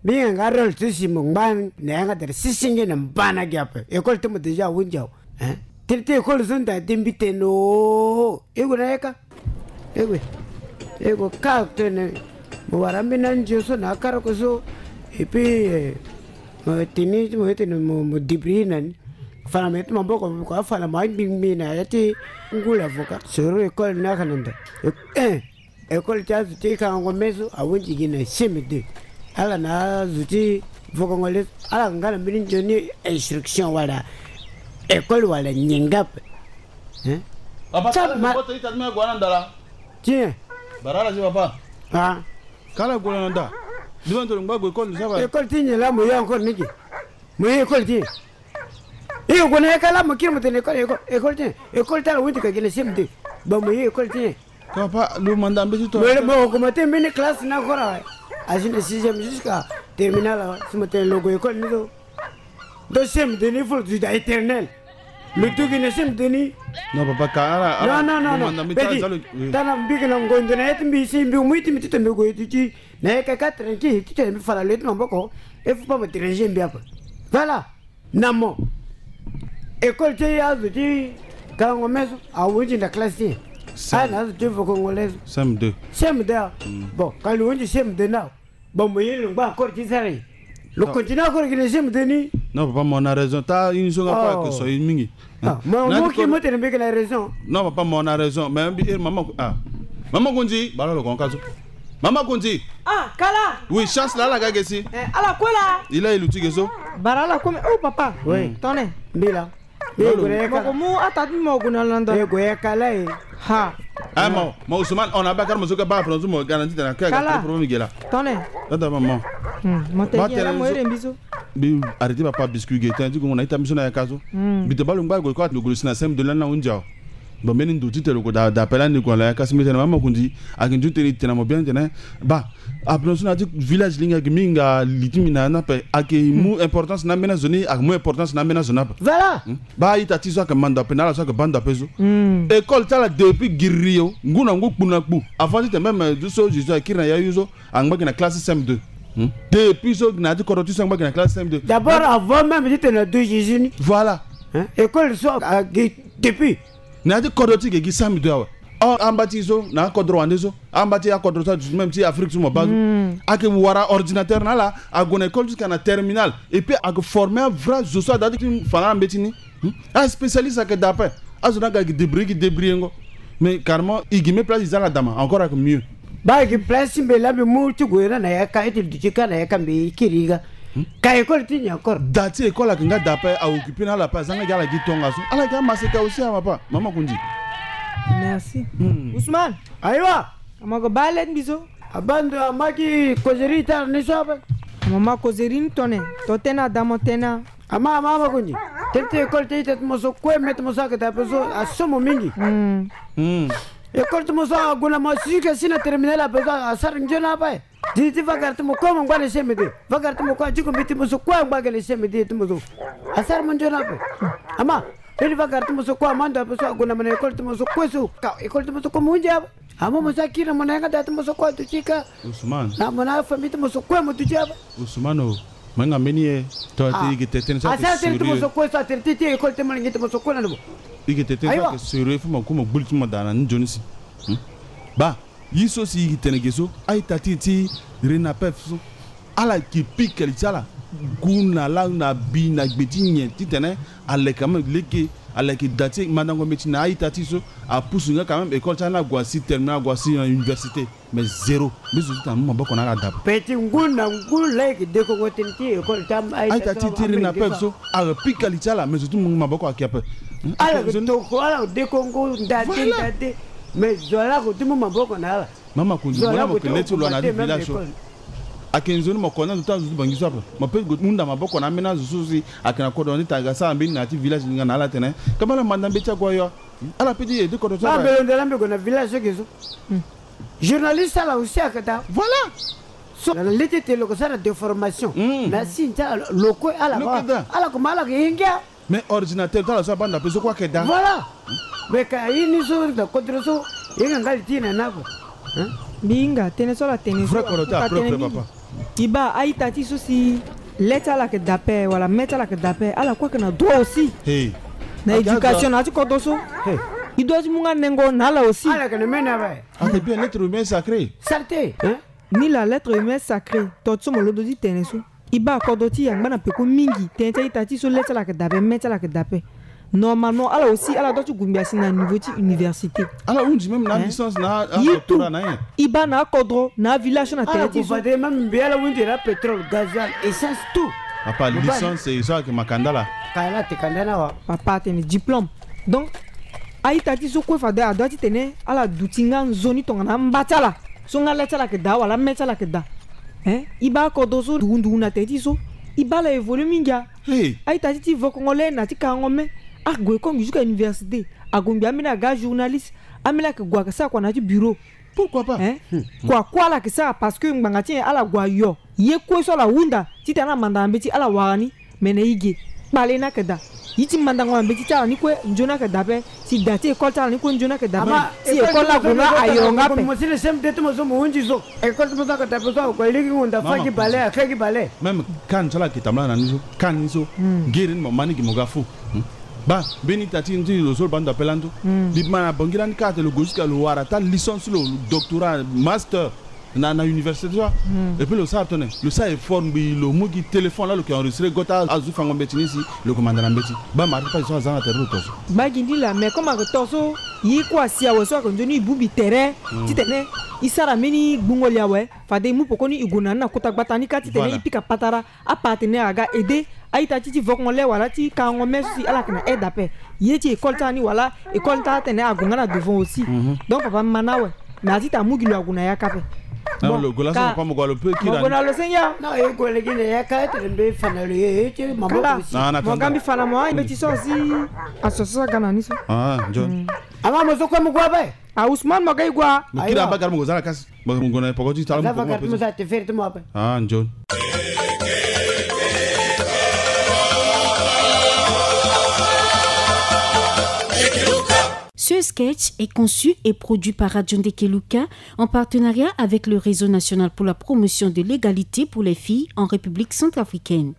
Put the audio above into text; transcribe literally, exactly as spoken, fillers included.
Mbi hinga nga rôle so si mo ngba na yanga tere sisi nge na mba na gi ape. École ti mo déjà ahunzi awe. Hein? Tene ti école so nda ti mbi tene o. E gue na ye ka. E gue. E gue ka tene. Mo wara mbi na nzio so na akara ko so. Et puis, eh, mo tini, mo tene mo, mo débrouiller na ni. Fana mo yete maboko ko, afana mo angbi ngbi na ya ti ngulu avocat. Soro école ni aka na ndo. Eh, école ti azo ti kangango me so ahunzi gi na C M deux. Ala na azo ti vokongo le so, ala nga na mbeni nzoni instruction wala école wala nyen nga ape. Hein? Papa, sa kala ma- poto ita ti me gue na ndala. Tiens. Bara ala si papa. Ah. Kala gue na nda. Dima ndo ngba gue école ni sa ba. École ti nyen la mo ye encore ni gi? Mo ye école ti nyen? E gue na ye ka la mo kiri mo tene école, école, école ti nyen? École ti ala hunzi ka gi na C M deux. Ba mo ye école ti nyen? Papa, lo manda mbeti to. Mo, mo augmenter mbeni classe ni encore awe. Asi na sixième jusqu'à terminale awe. Si mo tene lo gue école ni so. Donc C M deux ni fo lo duti da éternel. Lo duti na C M deux ni. Non, papa, ka ala, ala, non, non, non, lo manda mbeti, petit, ala, oui. Tana mbi ke na ngonzo na ye ti mbi si mbi mu ye ti mbi ti tene mbi gue ti ti. Na ye ka ka tranquille ti tene mbi fala lo ye ti maboko. Il faut pas me déranger mbi ape. Voilà. Na mo. École ti azo ti kangango me so ahunzi na classe ti nyen? Ah, na azo ti vokongo le so. C M deux. C M deux ah. Mm. Bon, ka lo hunzi C M deux na. Bon, mo ye lo ngba encore ti sara ye. Lo continue encore gi na C M deux ni. Non, papa, mo na raison. Ta ini so nga pa ke so ye mingi. Ah, mo, mo ki mo tene mbi ke na raison. Non, papa, mo na raison. Mais mbi, eh, mama, ah. Mama Kundi, bala lo kon ka so. Mama Kundi. Ah, kala. Oui, chance la, ala ga ge si. Eh, ala kue la. Il a élu ti ge so. Bara ala kue me. Oh, papa. Oui. Tone. Mbi la. Mo ko mu ata ti mo gue na lando. E gue ya kala e. Ha. Ah, mo, mo Ousmane, on a bakar mo so ka ba prononce mo garanti tena ka. Kala. Problème ge la. Tone. Tata maman. Hmm, mo te la mo ere mbi so. Mbi arrêter papa biscuit ge tene ti gue na ita mbi so na ya ka so. Hmm. Mbi te ba lo ngba gue ko ati lo gue lo si na C M deux la na hunzi awe. Bon, mbeni ndo ti tene lo gue da, da pela ni gue na ya ka si mbi tene mama Kundi. Ayeke nzoni tene e tene na mo bien tene. Ba, apena so na ya ti village linga ayeke mingi nga li ti mbi na ya ni ape. Ayeke mu importance na ambeni azo ni, ayeke mu importance na ambeni azo ni ape. Voilà. Hmm? Ba a-ita ti so ayeke manda ape na ala so ayeke bando ape so. Hmm. École ti ala depuis giri yo, ngu na ngu, kpu na kpu. Avant ti tene même, euh, so Jésus akiri na ya yo so, angba gi na classe C M deux. Hmm? Depuis so na ya ti kodro ti so angba gi na classe C M deux. D'abord, avant même ti tene na deux Jésus ni. Voilà. Hein? École so, ah, gi depuis. Na ya ti kodro ti ge gi C M deux awe. Or, amba ti so, na akodro wande so, amba ti akodro so, même ti Afrique so mo baa so. Hmm. Ayeke wara ordinateur na ala, ague na école jusqu'à na terminale. Et puis, ayeke former avrai zo so ada ti fa na ala mbeti ni. Hmm? Aspécialiste ayeke daa ape. Azo ni aga gi débrouiller, gi débrouiller ngo. Mais carrément, e gi me place e za ala daa ma, encore ayeke mieux. Ba e gi place ti mbi la mbi mu ti gue na na ya ka, e ti duti ka na ya ka mbi kiri ga. Hmm? Ka école ti nyen encore? Da ti école ayeke nga daa ape, a occuper na ala ape, a za nga gi ala gi tongaso. Ala gi amaseka aussi, ama pa, mama Kundi. Merci. Hmm. Ousmane. Ayiwa. Ama ko ba le mbi so. Abando ama gi causerie ti ala ni so ape. Ama ma causerie ni tone. To tene ada mo tene. Ama, ama, ama Kundi. Tene ti école ti ita ti mo so kue, me ti mo so ayeke daa ape so, aso mo mingi. Hmm. Hmm. École ti mo so ague na mo si ke si na terminale ape so, asara nzoni ape. Di ti vagara ti mo kue mo ngba na C M deux. Vagara ti mo kue, adiko mbi ti mo so kue angba gele C M deux ti mo so. Asara mo nzoni ape. Ama, mbeni vagara ti mo so kue, amando ape so ague na mo na école ti mo so kue so. Ka école ti mo so kue mo hunzi ape. Ama mo so akiri na mo na yanga daa ti mo so kue aduti ka. Ousmane. Na mo na afamille ti mo so kue mo duti ape. Ousmane o. Mo hinga mbeni ye. To, ah, te e yeke tene tënë so ayeke sérieux. Asara tënë ti mo so kue so, atene ti, ti école ti mo lingbi ti mo so kue na mo. E yeke tene tënë so ayeke sérieux, fo mo ku mo gbu li ti mo daa na ni nzoni si. Hmm? Ba. Ye so si e tene ge so, a-ita ti e ti RENAPEP so, ala yeke pika li ti ala, ngu na la na bi na gbe ti nyen titene aleke quand même lege, aleke da ti mandango mbeti na a-ita ti e so, apusu nga quand même école ti ala ni ague asi terminale, ague asi na université. Mais zéro. Mbi zo ti tene amu maboko na ala daa. Pe ti ngu na ngu la e yeke dekongo tënë ti école ti a-ita ti e ti RENAPEP so, ayeke pika li ti ala, mais zo ti mu maboko ayeke ape. Hmm? Ala yeke toko, ala yeke dekongo ndade ndade. Mais zo laa ako ti mu maboko na ala. Mama Kundi, mo na mo yeke le ti lo na ya ti village so. Ayeke nzoni mo kodro na zo ti azo ti Bangui so ape. Mo peut hunda maboko na ambeni azo so si ayeke na kodro na ni, tanga asara mbeni na ya ti village ni nga na ala tene. Kamba ala manda mbeti ague ayo. Ala peut ti aidé kodro so ape. Mbelo nde la mbi gue na village so ge so. Hmm. Journaliste ala aussi ayeke daa. Voilà. So na le ti tene lo yeke sara déformation. Hmm. Mais asi nzara lo kue ala, lo yeke daa. Ala kuma ala yeke hingia. Mais ordinateur ti ala so abanda ape so kue ayeke daa. Voilà. Mais ka ye ni so na kodro so, e hinga nga li ti e na ni ape. Hein? Mbi hinga tënë so ala tene so. Vrai kodro ti ala propre, papa. I baa a-ita ti so si le ti ala yeke daa ape wala me ti ala yeke daa ape, ala kue ayeke na droit aussi. Hey. Na éducation na ya ti kodro so. Hey. I doit ti mu nga nengo na ala aussi. Ala yeke na me na ape. Ayeke bien lettre humaine sacrée. Saleté, hein? Ni la lettre humaine sacrée. To ti so mo londo ti tene so. I baa kodro ti e angba na peko mingi tënë ti a-ita ti so le ti ala yeke daa ape, me ti ala yeke daa ape. Normalement ala aussi ala doit ti gue ngbii asi na niveau ti université. Ala hunzi même na licence na doctorat na ye. I baa na akodro na avillage so na tere ti so. Même mbi ala hunzi na pétrole, gasoil, essence, tout. Papa, licence e so ayeke makanda laa. Kala te kanda na wa. Papa atene diplôme. Donc a-ita ti so kue fade adoit ti tene ala duti nga nzoni tongana amba ti ala. So nga le ti ala yeke daa wala me ti ala yeke daa. Hein? I baa akodro so ndugu ndugu na tere ti so. I baa ala évolue mingi a. Hey. A-ita ti ti vokongo le na ti karango me. Ague kongbi jusqu'à université. Ague ngbii ambeni aga journaliste. Ambeni ayeke gue ayeke sara kua na ya ti bureau. Pourquoi pas? Hein? Kua kue ala yeke sara parce que ngbanga ti nyen ala gue ayo. Ye kue so ala hunda titene ala manda na mbeti ala wara ni. Me na e ge kpale ni ayeke daa. Ye ti mandango na mbeti ti ala ni kue nzoni ayeke daa ape. Si daa ti école ti ala ni kue nzoni ayeke daa ape. Si école ni ague nga ayo nga ape. Mo si le C M D ti mo so mo hunzi so. École ti mo so ayeke daa ape so ague lege honda fa gi bale ake gi bale. Même kani so ala yeke tambula na ni so, kani so. Giri ni mo ma ni gi mo ga fu. Baa mbeni ita ti lo so lo baa ndo ape lando. Mbi ma na bangi lani kâ ate lo gue jusqu'à lo wara taa licence ti lo, doctorat, master na na université ti so. Et puis lo sara tënë, lo sara effort ngbii lo mu gi téléphone laa lo yeke enregistré go taa azo ti fango mbeti ni si lo yeke manda na mbeti. Baa mara ti pasi so aza na tere ti lo to so. Baa gi ni laa mais comme ayeke to so. Ye kue asi awe so ayeke nzoni e bongbi tere titene e sara mbeni gbungo li awe. Fade e mu pekoni e gue na ni na kota gbata ni kâ titene e pika patara. Apartenaire aga aidé a-ita ti ti vokongo le wala ti karango me so si ala yeke na aide ape. Ye ti école ti ala ni wala école ti ala tene ague nga na devant aussi. Donc papa mbi ma na awe. Na ya ti ta mu gi lo ague na yaka ape. Bon lo gue laso papa mo gue lo pe kiri na lo senge. Non e gue lege na yaka tene mbi fa na lo ye ti maboko aussi. Mo ga mbi fa na mo a mbeti so si. Aso so aga na ni so. Ah John. Ama mo so kue mo gue ape. Ah Ousmane mo ga e gue a. Mo kiri aba gari mo gue za na kasi. Mo gue na poko ti tala mo poko mo pe so. Ah John. Ce sketch est conçu et produit par Radio Ndekeluka en partenariat avec le Réseau national pour la promotion de l'égalité pour les filles en République centrafricaine.